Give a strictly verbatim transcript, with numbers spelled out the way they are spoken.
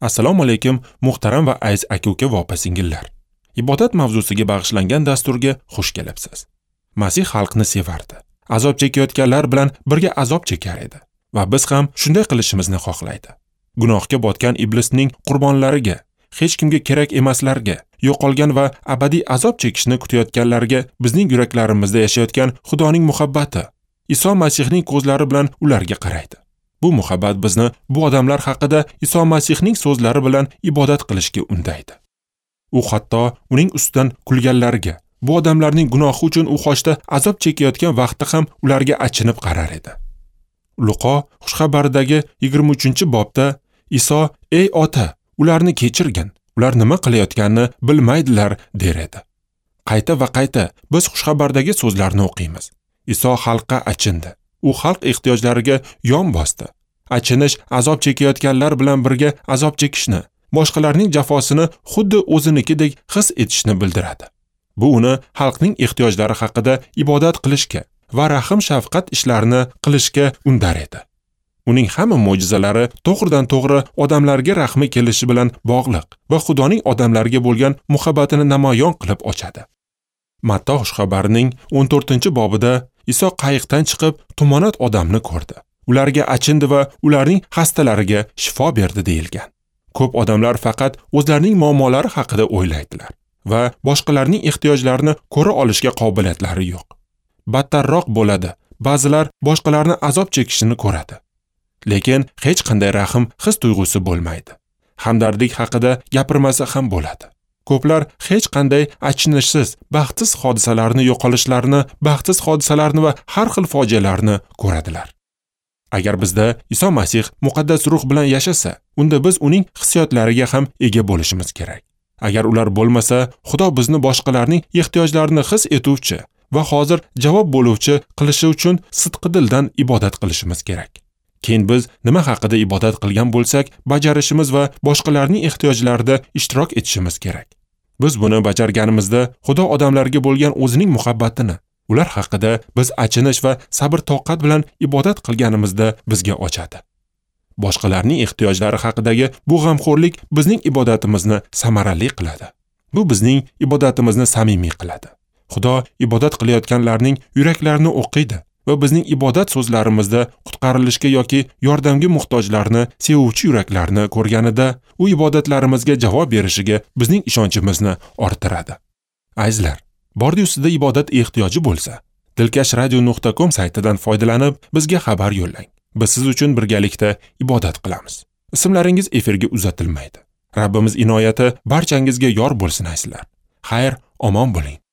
Assalomu alaykum, muhtaram va aziz aka-uka va opa-singillar. Ibodat mavzusiga bag'ishlangan dasturga xush kelibsiz. Masih xalqni sevardi. Azob chekayotganlar bilan birga azob chekar edi va biz ham shunday qilishimizni xohlaydi. Gunohga botgan iblisning qurbonlariga, hech kimga kerak emaslarga, yo'qolgan va abadiy azob chekishni kutayotganlarga bizning yuraklarimizda yashayotgan Xudoning muhabbati Iso Masihning ko'zlari bilan ularga qaraydi. Bu muhabbat bizni bu odamlar haqida Iso Masihning so'zlari bilan ibodat qilishga undaydi. U hatto uning ustidan kulganlarga, bu odamlarning gunohi uchun u xochda azob chekayotgan vaqtda ham ularga achinib qarar edi. Luqo xushxabaridagi yigirma uchinchi bobda Iso: "Ey ota, ularni kechirgin, ular nima qilayotganini bilmaydilar" der edi. Qayta va qayta biz xushxabardagi so'zlarni o'qiymiz. Iso xalqqa achindi. U xalq ehtiyojlariga yon bosdi. Achinish azob chekayotganlar bilan birga azob chekishni, boshqalarning jafosini xuddi o'zinikidek his etishni bildiradi. Bu uni xalqning ehtiyojlari haqida ibodat qilishga va rahm-shafqat ishlarini qilishga undar edi. Uning hamma mo'jizalari to'g'ridan-to'g'ri odamlarga rahmi kelishi bilan bog'liq va Xudoning odamlarga bo'lgan muhabbatini namoyon qilib ochadi. Matta xushxabarining o'n to'rtinchi bobida Iso qayiqdan chiqib tumonat odamni ko'rdi. Ularga achindi va ularning xastalariga shifo berdi deyilgan. Ko'p odamlar faqat o'zlarining muammolari haqida o'ylaydilar va boshqalarning ehtiyojlarini ko'ra olishga qobiliyatlari yo'q. Battarroq bo'ladi. Ba'zilar boshqalarni azob chekishini ko'radi. Lekin hech qanday rahm his tuyg'usi bo'lmaydi. Hamdardlik haqida gapirmasa ham bo'ladi. Ko'plar hech qanday achinishsiz, baxtsiz hodisalarni, yo'qolishlarni, baxtsiz hodisalarni va har xil fojialarni ko'radilar. Agar bizda Iso Masih muqaddas ruh bilan yashasa, unda biz uning hissiyotlariga ham ega bo'lishimiz kerak. Agar ular bo'lmasa, Xudo bizni boshqalarning ehtiyojlarini his etuvchi va hozir javob bo'luvchi qilishi uchun sidqi dildan ibodat qilishimiz kerak. Keyin biz nima haqida ibodat qilgan bo'lsak, bajarishimiz va boshqalarning ehtiyojlarida ishtirok etishimiz kerak. Biz buni bajarganimizda Xudo odamlarga bo'lgan o'zining muhabbatini, ular haqida biz achinish va sabr-toqat bilan ibodat qilganimizda bizga ochadi. Boshqalarning ehtiyojlari haqidagi bu g'amxo'rlik bizning ibodatimizni samarali qiladi. Bu bizning ibodatimizni samimiy qiladi. Xudo ibodat qilayotganlarning yuraklarini o'qiydi va bizning ibodat so'zlarimizda qutqarilishga yoki yordamga muhtojlarni sevuvchi yuraklarni ko'rganida u ibodatlarimizga javob berishiga bizning ishonchimizni orttiradi. Azizlar, bordi-yu sizda ibodat ehtiyoji bo'lsa, dilkash radio nuqta com saytidan foydalanib bizga xabar yo'llang. Biz siz uchun birgalikda ibodat qilamiz. Ismlaringiz efirga uzatilmaydi. Rabbimiz inoyati barchangizga yor bo'lsin azizlar. Xayr, omon bo'ling.